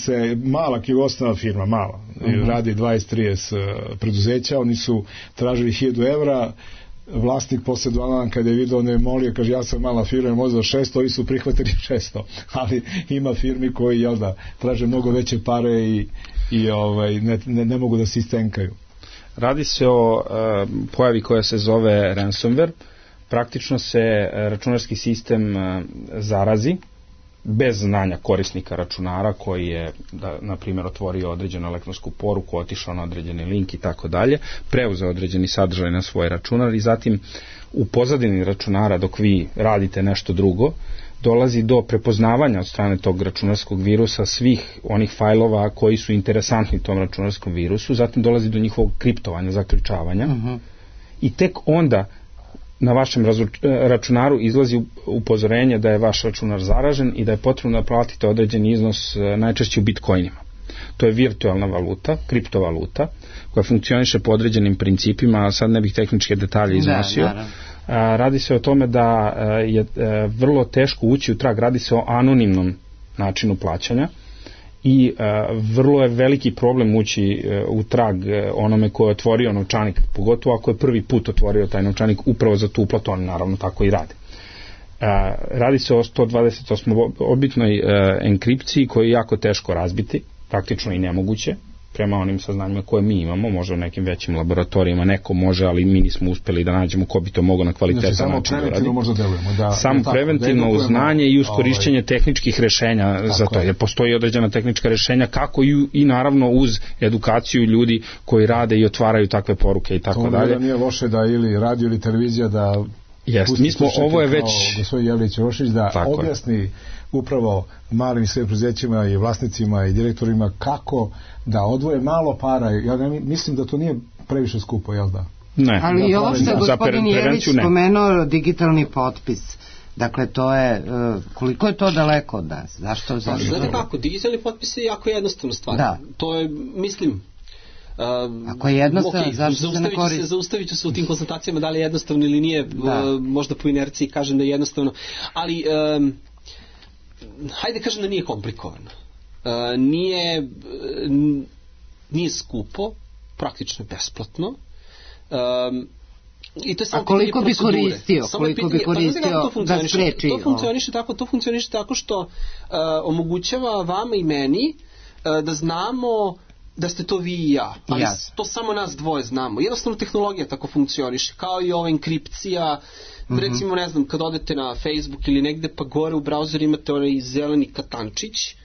se, mala knjigovodstvena firma, mala, radi 20-30 preduzeća, oni su tražili 1000 evra, vlasnik posle 2 dana kada je vidio, ne molio, kaže ja sam mala firma, možda 600, ovi su prihvatili 600, ali ima firmi koji traže mnogo veće pare i ne mogu da se istenkaju. Radi se o pojavi koja se zove ransomware. Praktično se računarski sistem zarazi bez znanja korisnika računara koji je, na primjer, otvorio određenu elektronsku poruku, otišao na određeni link i tako dalje, preuzeo određeni sadržaj na svoj računar i zatim u pozadini računara dok vi radite nešto drugo, dolazi do prepoznavanja od strane tog računarskog virusa svih onih fajlova koji su interesantni tom računarskom virusu, zatim dolazi do njihovog kriptovanja, zaključavanja i tek onda na vašem računaru izlazi upozorenje da je vaš računar zaražen i da je potrebno da platite određeni iznos, najčešće u bitcoinima. To je virtualna valuta, kriptovaluta, koja funkcioniše po određenim principima, a sad ne bih tehničke detalje iznosio. Radi se o tome da je vrlo teško ući u trag, radi se o anonimnom načinu plaćanja i vrlo je veliki problem ući u trag onome ko je otvorio novčanik, pogotovo ako je prvi put otvorio taj novčanik upravo za tu uplatu, oni naravno tako i rade. Radi se o 128-bitnoj enkripciji koju je jako teško razbiti, praktično i nemoguće, prema onim saznanjima koje mi imamo, može u nekim većim laboratorijima, neko može, ali mi nismo uspeli da nađemo ko bi to mogao na kvalitetan način da radi. Samo preventivno uz znanje i uz korišćenje tehničkih rešenja za to, jer postoji određena tehnička rešenja kako i naravno uz edukaciju ljudi koji rade i otvaraju takve poruke i tako dalje. To nije loše da ili radio ili televizija da mi smo, ovo je već gospodin Jelić Rošić da objasni upravo malim i srednjim preduzećima i vlasnicima i direktorima kako da odvoje malo para. Ja mislim da to nije previše skupo, jel da? Ne. Ali i ovo što je gospodin Jelić spomenuo, digitalni potpis. Dakle, to je, koliko je to daleko od nas? Zašto? Znate kako, digitalni potpis je jako jednostavna stvar. Da. To je, mislim, ako je jednostavno, zašto se ne koristi? Zaustavit ću se u tim konstatacijama da li je jednostavno ili nije, možda po inerciji kažem da je jednostavno, ali hajde kažem da nije komplikovano. Nije skupo, praktično besplatno. I to je samo a koliko bi koristio? Koliko bi koristio da spreči? To funkcioniše tako što omogućava vama i meni da znamo da ste to vi i ja, ali to samo nas dvoje znamo. Jednostavno tehnologija tako funkcioniše, kao i ova enkripcija. Recimo, ne znam, kad odete na Facebook ili negde, pa gore u brauzeru imate onaj zeleni katančić,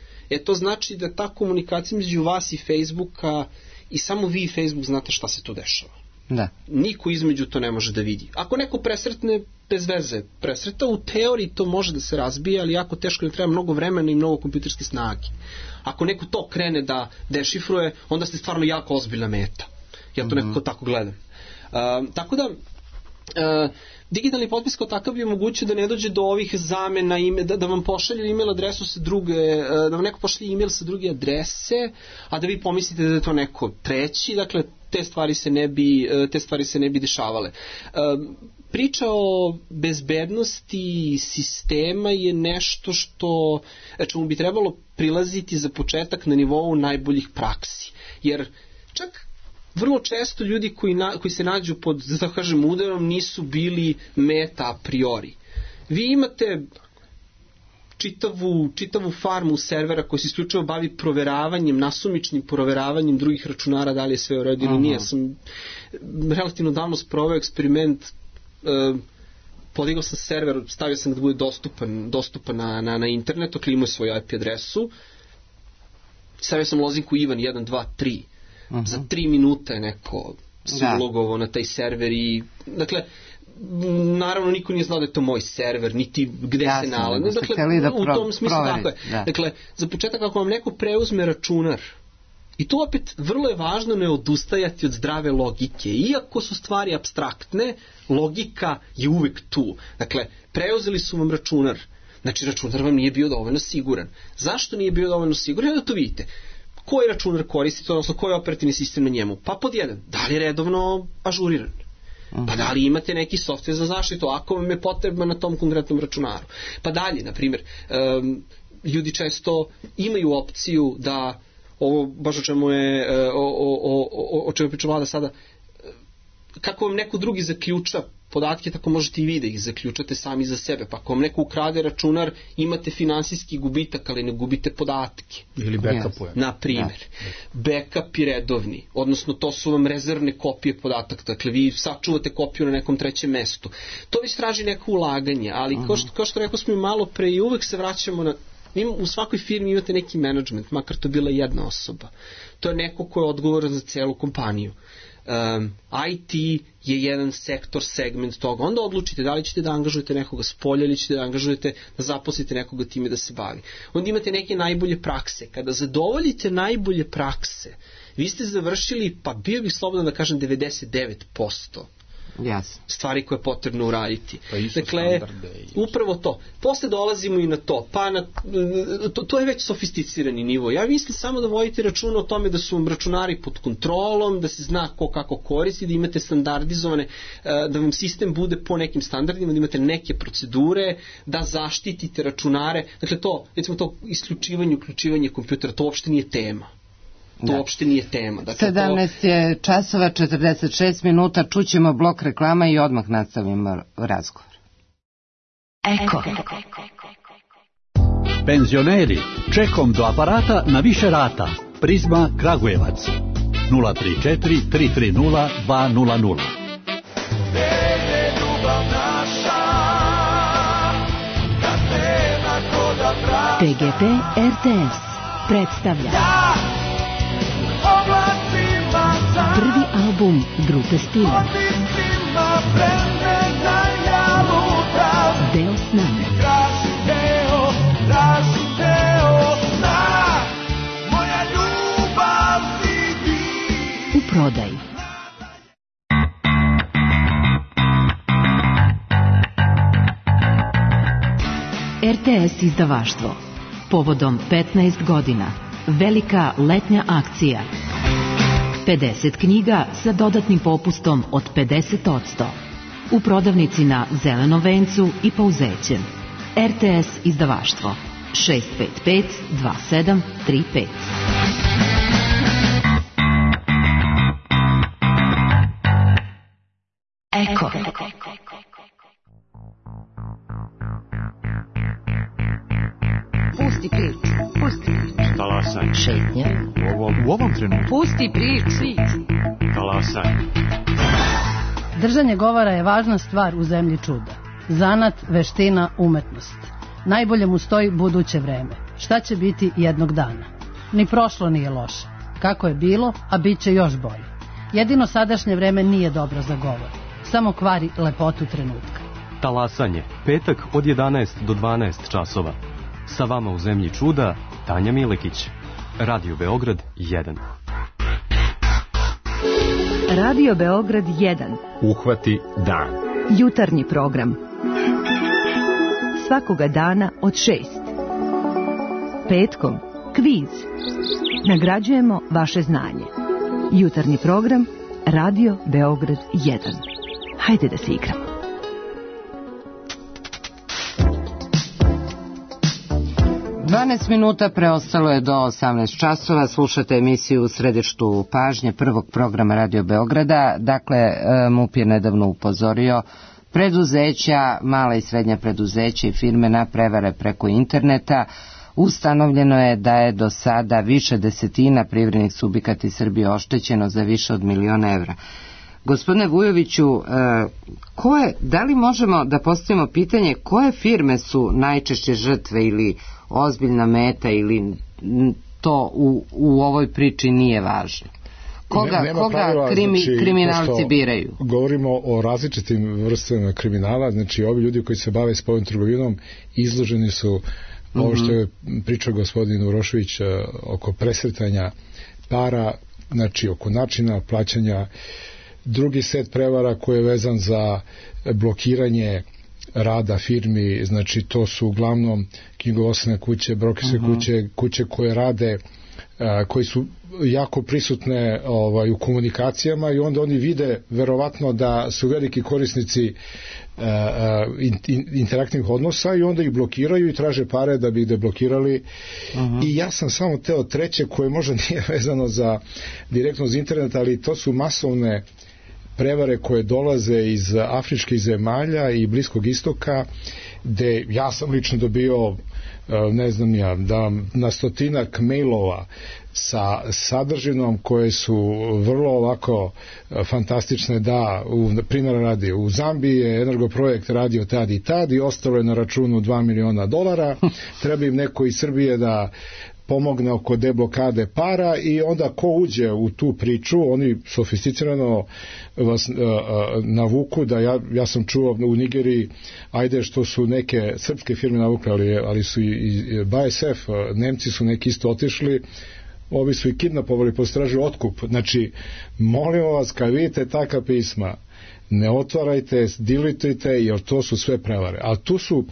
to znači da ta komunikacija među vas i Facebooka i samo vi i Facebook znate šta se tu dešava. Da. Niko između to ne može da vidi. Ako neko presretne, bez veze presreta, u teoriji to može da se razbije, ali jako teško, ne treba mnogo vremena i mnogo kompjuterske snage. Ako neko to krene da dešifruje, onda ste stvarno jako ozbiljna meta. Ja to nekako tako gledam. Tako da digitalni potpis kao takav bi omogućio da ne dođe do ovih zamena, da vam pošalju e-mail adresu sa druge, da vam neko pošalje e-mail sa druge adrese, a da vi pomislite da je to neko treći, dakle te stvari se ne bi dešavale. Priča o bezbednosti sistema je nešto što čemu bi trebalo prilaziti za početak na nivou najboljih praksi, jer čak vrlo često ljudi koji se nađu pod, da tako kažem, udarom nisu bili meta a priori. Vi imate čitavu farmu servera koji se isključivo bavi proveravanjem, nasumičnim proveravanjem drugih računara, da li je sve u redu ili nije. Sam relativno davno sproveo eksperiment, podigao sam server, stavio sam da bude dostupan na internetu, klimao svoju IP adresu, stavio sam lozinku Ivan 1, 2, 3. Za 3 minuta je neko se ulogovao na taj server i, dakle, naravno niko nije znao da je to moj server, niti gde se nalazi. Dakle, u tom smislu tako je. Dakle, za početak ako vam neko preuzme računar, i to opet vrlo je važno ne odustajati od zdrave logike. Iako su stvari apstraktne, logika je uvek tu. Dakle, preuzeli su vam računar. Znači, računar vam nije bio dovoljno siguran. Zašto nije bio dovoljno siguran? Da to vidite. Koji računar koristite, odnosno koji je operativni sistem na njemu? Pa pod jedan, da li je redovno ažuriran? Pa da li imate neki softver za zaštitu, ako vam je potrebno na tom konkretnom računaru? Pa dalje, na primjer, ljudi često imaju opciju da, ovo baš o čemu je, o čemu priča Vlada sada, kako vam neko drugi zaključa podatke, tako možete i vi da ih zaključate sami za sebe. Pa ako vam neko ukrade računar, imate finansijski gubitak, ali ne gubite podatke. Ili backupuje. Na primjer. Backup je redovni, odnosno to su vam rezervne kopije podataka. Dakle, vi sačuvate kopiju na nekom trećem mestu. To već traži neko ulaganje, ali kao što rekao smo i malo pre, i uvek se vraćamo na U svakoj firmi imate neki management, makar to bila jedna osoba. To je neko ko je odgovoran za celu kompaniju. IT je jedan sektor, segment toga. Onda odlučite da li ćete da angažujete nekoga s polja ili ćete da angažujete, da zaposlite nekoga time da se bavi. Onda imate neke najbolje prakse. Kada zadovoljite najbolje prakse, vi ste završili, pa bio bih slobodan da kažem 99%. Stvari koje je potrebno uraditi. Dakle, upravo to. Posle dolazimo i na to. To je već sofisticirani nivo. Ja mislim samo da vodite računa o tome da su vam računari pod kontrolom, da se zna ko kako koristi, da imate standardizovane, da vam sistem bude po nekim standardima, da imate neke procedure, da zaštitite računare. Dakle, to, recimo to isključivanje, uključivanje kompjutera, to uopšte nije tema. To uopšte nije tema. Dakle, 17 je časova, 46 minuta, čućemo blok reklama i odmah nastavimo razgovor. Eko. Penzioneri, čekom do aparata na više rata. Prizma Kragujevac. 034 330 200. TGP RTS predstavlja prvi album grupe Stila. Deo sna. U prodaji. RTS izdavaštvo. Povodom 15 godina. Velika letnja akcija. 50 knjiga sa dodatnim popustom od 50%. U prodavnici na Zelenom vencu i Pauzećem. RTS izdavaštvo 655 2735. Eko. Pusti priču. Talasaj. Šetnja. U ovom trenutku. Pusti priču. Talasaj. Držanje govora je važna stvar u zemlji čuda. Zanat, veština, umetnost. Najbolje mu stoji buduće vreme. Šta će biti jednog dana? Ni prošlo nije loše. Kako je bilo, a bit će još bolje. Jedino sadašnje vreme nije dobro za govor. Samo kvari lepotu trenutka. Talasanje. Petak od 11 do 12 časova. Sa vama u zemlji čuda, Tanja Milekić. Radio Beograd 1. Radio Beograd 1. Uhvati dan. Jutarnji program. Svakoga dana od 6. Petkom kviz. Nagrađujemo vaše znanje. Jutarnji program Radio Beograd 1. Hajde da se igramo. Minuta preostalo je do 18 časova. Slušate emisiju u središtu pažnje prvog programa Radio Beograda. Dakle, MUP je nedavno upozorio preduzeća, mala i srednja preduzeća i firme na prevare preko interneta. Ustanovljeno je da je do sada više desetina privrednih subjekata iz Srbije oštećeno za više od 1 milion evra. Gospodine Vujoviću, da li možemo da postavimo pitanje koje firme su najčešće žrtve ili ozbiljna meta ili to u ovoj priči nije važno? Koga kriminalci biraju? Govorimo o različitim vrstama kriminala, znači ovi ljudi koji se bave spoljnom trgovinom izloženi su ovo što je pričao gospodin Urošević oko presretanja para, znači oko načina plaćanja. Drugi set prevara koji je vezan za blokiranje rada firmi, znači to su uglavnom knjigovodstvene kuće, brokerske kuće koje rade, koji su jako prisutne u komunikacijama i onda oni vide verovatno da su veliki korisnici interaktivnih odnosa i onda ih blokiraju i traže pare da bi ih deblokirali. I ja sam samo teo treće koje možda nije vezano direktno za internet, ali to su masovne prevare koje dolaze iz afričkih zemalja i Bliskog istoka, gde ja sam lično dobio ne znam ja, da na stotinak mailova sa sadržinom koje su vrlo ovako fantastične, da, primjer radi, u Zambiji je energoprojekt radio tad i tad i ostalo je na računu $2 miliona, treba im neko iz Srbije da pomogne oko deblokade para i onda ko uđe u tu priču, oni sofisticirano vas navuku da ja sam čuo u Nigeriji, ajde što su neke srpske firme navukle, ali su i BASF, Nemci su neki isto otišli, ovi su i kidnapovali, postražili otkup. Znači, molimo vas, kad vidite taka pisma, ne otvarajte, dilitujte, jer to su sve prevare. A tu su,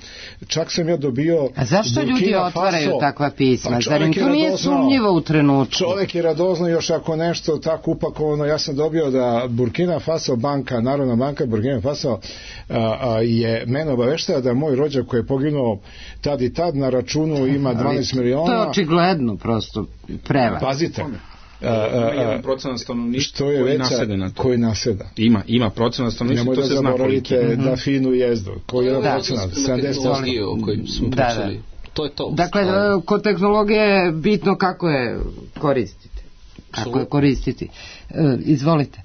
čak sam ja dobio... A zašto ljudi otvaraju takva pisma? Zar im to nije sumnjivo u trenutku? Čovjek je radozno, još ako nešto tako upakovano. Ja sam dobio da Burkina Faso banka, Narodna banka Burkina Faso je mene obaveštava da moj rođak koji je poginuo tad i tad na računu ima 12 miliona. To je očigledno prosto prevar. Pazite. Jedan procenat stanovništva koji naseda. Ima procenat stanovništva, to se zna koliki. Nemoj da zaboravite da finu jezdu. Koji je procenat? 70%. O kojim smo pričali. To je to. Dakle, kod tehnologije je bitno kako je koristiti. Kako je koristiti. Izvolite.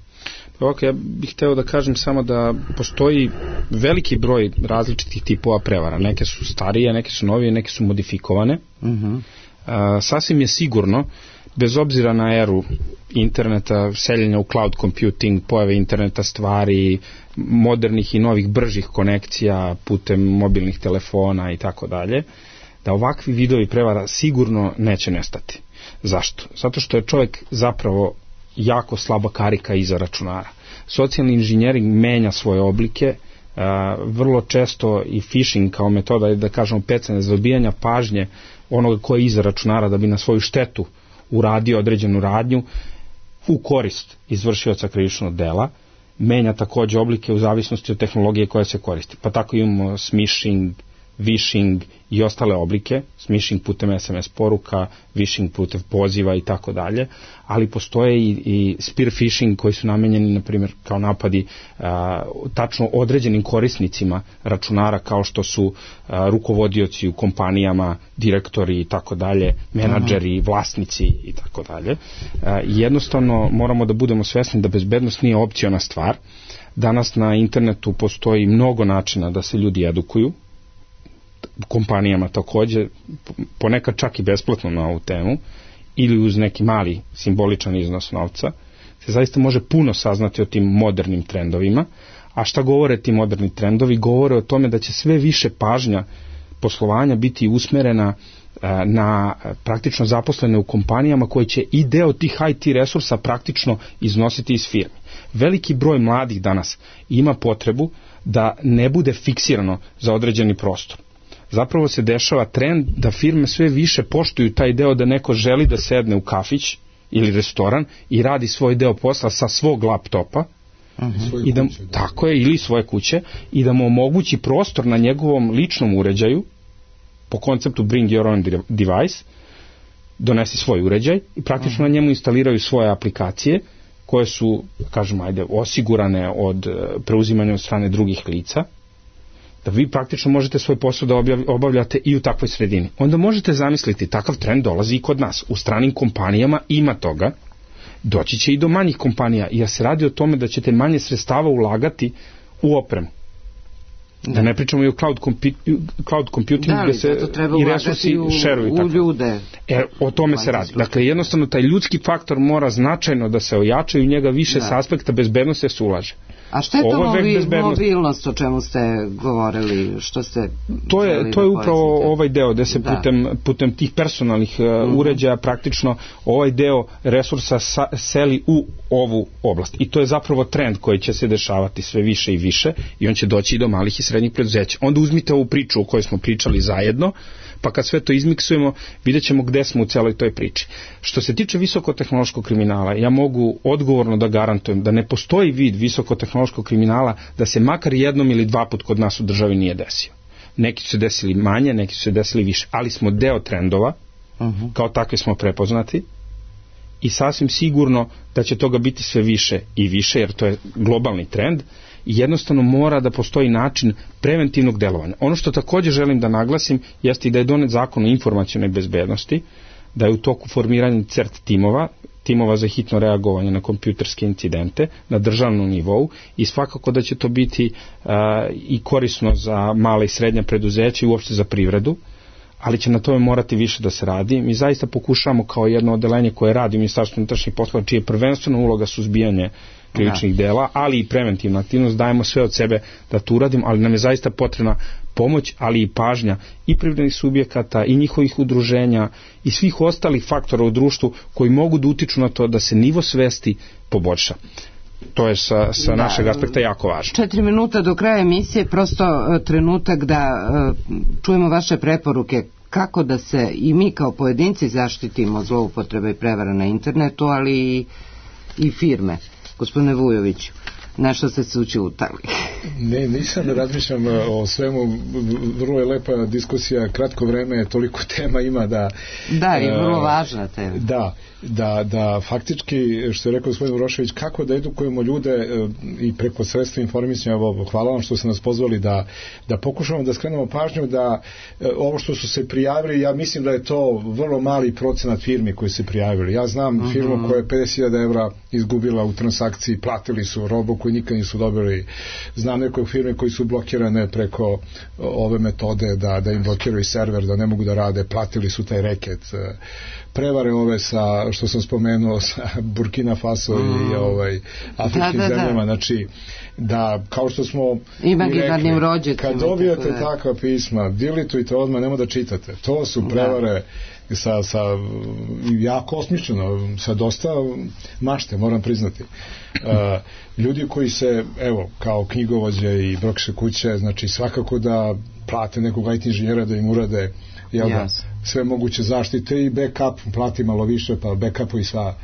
Ok, ja bih hteo da kažem samo da postoji veliki broj različitih tipova prevara. Neke su starije, neke su novije, neke su modifikovane. Sasvim je sigurno, bez obzira na eru interneta, seljenja u cloud computing, pojave interneta stvari, modernih i novih bržih konekcija putem mobilnih telefona i tako dalje, da ovakvi vidovi prevara sigurno neće nestati. Zašto? Zato što je čovjek zapravo jako slaba karika iza računara. Socijalni inženjering menja svoje oblike, vrlo često i phishing kao metoda, da kažemo pecanje za dobijanja pažnje onoga ko je iza računara da bi na svoju štetu uradio određenu radnju u korist izvršioca krivičnog dela, menja takođe oblike u zavisnosti od tehnologije koja se koristi. Pa tako imamo smishing, vishing i ostale oblike, smishing putem SMS poruka, vishing putem poziva i tako dalje, ali postoje i spear phishing koji su namenjeni, na primjer, kao napadi tačno određenim korisnicima računara, kao što su rukovodioci u kompanijama, direktori i tako dalje, menadžeri, vlasnici i tako dalje. Jednostavno moramo da budemo svesni da bezbednost nije opciona stvar. Danas na internetu postoji mnogo načina da se ljudi edukuju, kompanijama takođe, ponekad čak i besplatno na ovu temu, ili uz neki mali simboličan iznos novca, se zaista može puno saznati o tim modernim trendovima. A šta govore ti moderni trendovi? Govore o tome da će sve više pažnja poslovanja biti usmerena na praktično zaposlene u kompanijama koje će i deo tih IT resursa praktično iznositi iz firme. Veliki broj mladih danas ima potrebu da ne bude fiksirano za određeni prostor. Zapravo se dešava trend da firme sve više poštuju taj deo da neko želi da sedne u kafić ili restoran i radi svoj deo posla sa svog laptopa, i da, tako je, ili svoje kuće, i da mu omogući prostor na njegovom ličnom uređaju, po konceptu bring your own device, donesi svoj uređaj i praktično na njemu instaliraju svoje aplikacije koje su, kažemo, osigurane od preuzimanja od strane drugih lica, da vi praktično možete svoj posao da obavljate i u takvoj sredini. Onda možete zamisliti, takav trend dolazi i kod nas. U stranim kompanijama ima toga, doći će i do manjih kompanija, jer se radi o tome da ćete manje sredstava ulagati u opremu. Da ne pričamo i o cloud computing, gde se i resursi šeruju. O tome se radi. Dakle, jednostavno taj ljudski faktor mora značajno da se ojača i u njega više s aspekta bezbednosti se ulaže. A šta je to mobilnost o čemu ste govorili? Što ste to je upravo ovaj deo gde se putem tih personalnih uređaja praktično ovaj deo resursa seli u ovu oblast. I to je zapravo trend koji će se dešavati sve više i više i on će doći i do malih i srednjih preduzeća. Onda uzmite ovu priču o kojoj smo pričali zajedno, pa kad sve to izmiksujemo, vidjet ćemo gde smo u celoj toj priči. Što se tiče visokotehnološkog kriminala, ja mogu odgovorno da garantujem da ne postoji vid visokotehnološkog kriminala da se makar jednom ili dva put kod nas u državi nije desio. Neki su se desili manje, neki su se desili više, ali smo deo trendova, kao takvi smo prepoznati i sasvim sigurno da će toga biti sve više i više, jer to je globalni trend i jednostavno mora da postoji način preventivnog delovanja. Ono što takođe želim da naglasim jeste i da je donet zakon o informacionoj bezbednosti, da je u toku formiranja CERT timova za hitno reagovanje na kompjuterske incidente na državnom nivou i svakako da će to biti i korisno za male i srednje preduzeće i uopšte za privredu, ali će na tome morati više da se radi. Mi zaista pokušavamo kao jedno odeljenje koje radi u Ministarstvu unutrašnjih poslova, čija je prvenstvena uloga suzbijanje krivičnih dela, ali i preventivna aktivnost, dajemo sve od sebe da to uradimo, ali nam je zaista potrebna pomoć, ali i pažnja i privrednih subjekata i njihovih udruženja i svih ostalih faktora u društvu koji mogu da utiču na to da se nivo svesti poboljša. To je sa našeg aspekta jako važno. 4 minuta do kraja emisije, prosto trenutak da čujemo vaše preporuke kako da se i mi kao pojedinci zaštitimo zloupotrebe i prevara na internetu, ali i firme. Gospodine Vujoviću, nešto ste se učutali. Ne, nisam da razmišljam o svemu, vrlo je lepa diskusija, kratko vreme, toliko tema ima da... Da, i vrlo važna tema. Da faktički, što je rekao gospodin Urošević, kako da edukujemo ljude i preko sredstva informisanja, hvala vam što ste nas pozvali da pokušamo da skrenemo pažnju da ovo što su se prijavili, ja mislim da je to vrlo mali procenat firmi koji se prijavili. Ja znam firmu koja je 50.000 evra izgubila u transakciji, platili su robu koju nikad nisu dobili. Znam nekog firme koji su blokirane preko ove metode da im blokiraju server, da ne mogu da rade, platili su taj reket. Prevare ove sa, što sam spomenuo, sa Burkina Faso i afričkim zemljama, znači da, kao što smo i rekli, kad dobijete takva pisma, delitujte odmah, nemoj da čitate. To su prevare sa jako osmišljeno, sa dosta mašte, moram priznati. Ljudi koji se, evo, kao knjigovođe i brokše kuće, znači svakako da plate nekog IT inženjera da im urade sve moguće zaštite i backup, plati malo više, pa backupu i sva.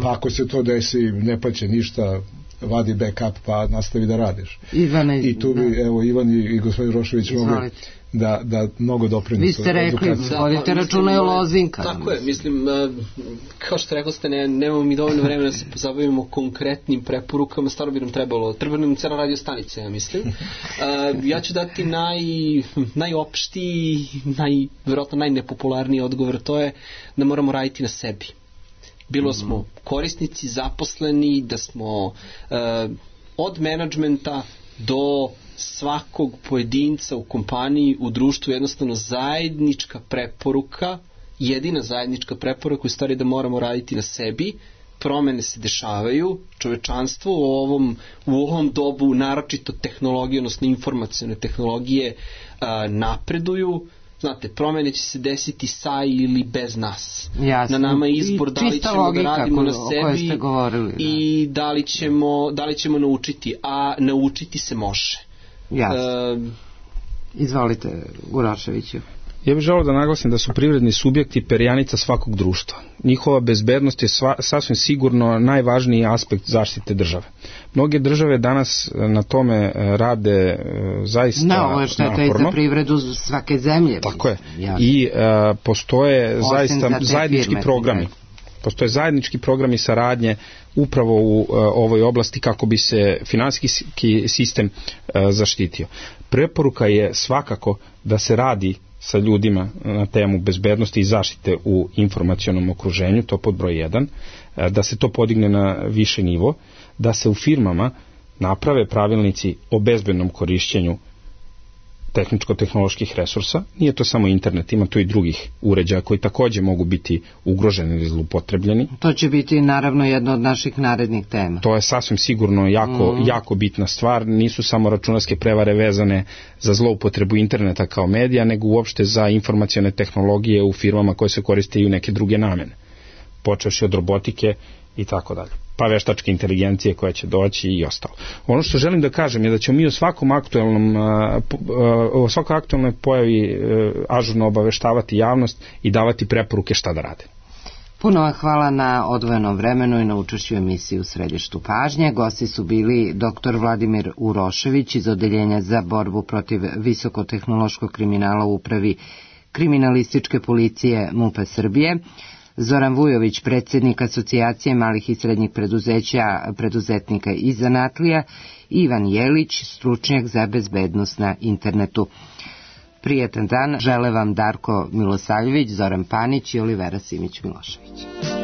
Pa ako se to desi, ne plaće ništa, vadi backup pa nastavi da radiš. I tu bi, evo, Ivan i gospodin Rošević mogli da mnogo doprinose. Vi ste rekli, vodite računa i o lozinka. Tako je, mislim, kao što rekli ste, nemamo mi dovoljno vremena da se pozabavimo konkretnim preporukama, stvarno bi nam trebalo nam cela radio stanica, ja mislim. Ja ću dati najopštiji, verovatno najnepopularniji odgovor, to je da moramo raditi na sebi. Bilo smo korisnici, zaposleni, da smo od menadžmenta do svakog pojedinca u kompaniji, u društvu, jednostavno zajednička preporuka, jedina zajednička preporuka u stvari da moramo raditi na sebi. Promene se dešavaju, čovečanstvo u ovom dobu, naročito tehnologije, odnosno informacione tehnologije napreduju. Znate, promene će se desiti sa ili bez nas. Jasno. Na nama je izbor da li ćemo da radimo na sebi i da li ćemo naučiti, a naučiti se može. Jasno. Izvolite, Uroševiću. Ja bih želeo da naglasim da su privredni subjekti perjanica svakog društva. Njihova bezbednost je sasvim sigurno najvažniji aspekt zaštite države. Mnoge države danas na tome rade zaista naporno. Ovo je šteta i za privredu svake zemlje. Tako je. I postoje zaista zajednički programi. Postoje zajednički programi saradnje upravo u ovoj oblasti kako bi se finansijski sistem zaštitio. Preporuka je svakako da se radi sa ljudima na temu bezbednosti i zaštite u informacionom okruženju, to pod broj 1, da se to podigne na više nivo, da se u firmama naprave pravilnici o bezbednom korišćenju tehničko-tehnoloških resursa. Nije to samo internet, ima tu i drugih uređaja koji takođe mogu biti ugroženi ili zlupotrebljeni. To će biti naravno jedna od naših narednih tema. To je sasvim sigurno jako bitna stvar. Nisu samo računarske prevare vezane za zloupotrebu interneta kao medija, nego uopšte za informacione tehnologije u firmama koje se koriste i u neke druge namene. Počevši od robotike i tako dalje. Pa veštačke inteligencije koja će doći i ostalo. Ono što želim da kažem je da ćemo mi o svakoj aktualnoj pojavi ažurno obaveštavati javnost i davati preporuke šta da rade. Puno vam hvala na odvojenom vremenu i na učešću emisiji u središtu pažnje. Gosti su bili dr. Vladimir Urošević iz Odeljenja za borbu protiv visokotehnološkog kriminala u Upravi kriminalističke policije MUP-a Srbije, Zoran Vujović, predsjednik Asocijacije malih i srednjih preduzetnika i zanatlija, Ivan Jelić, stručnjak za bezbednost na internetu. Prijetan dan žele vam Darko Milosavljević, Zoran Panić i Olivera Simić-Milošević.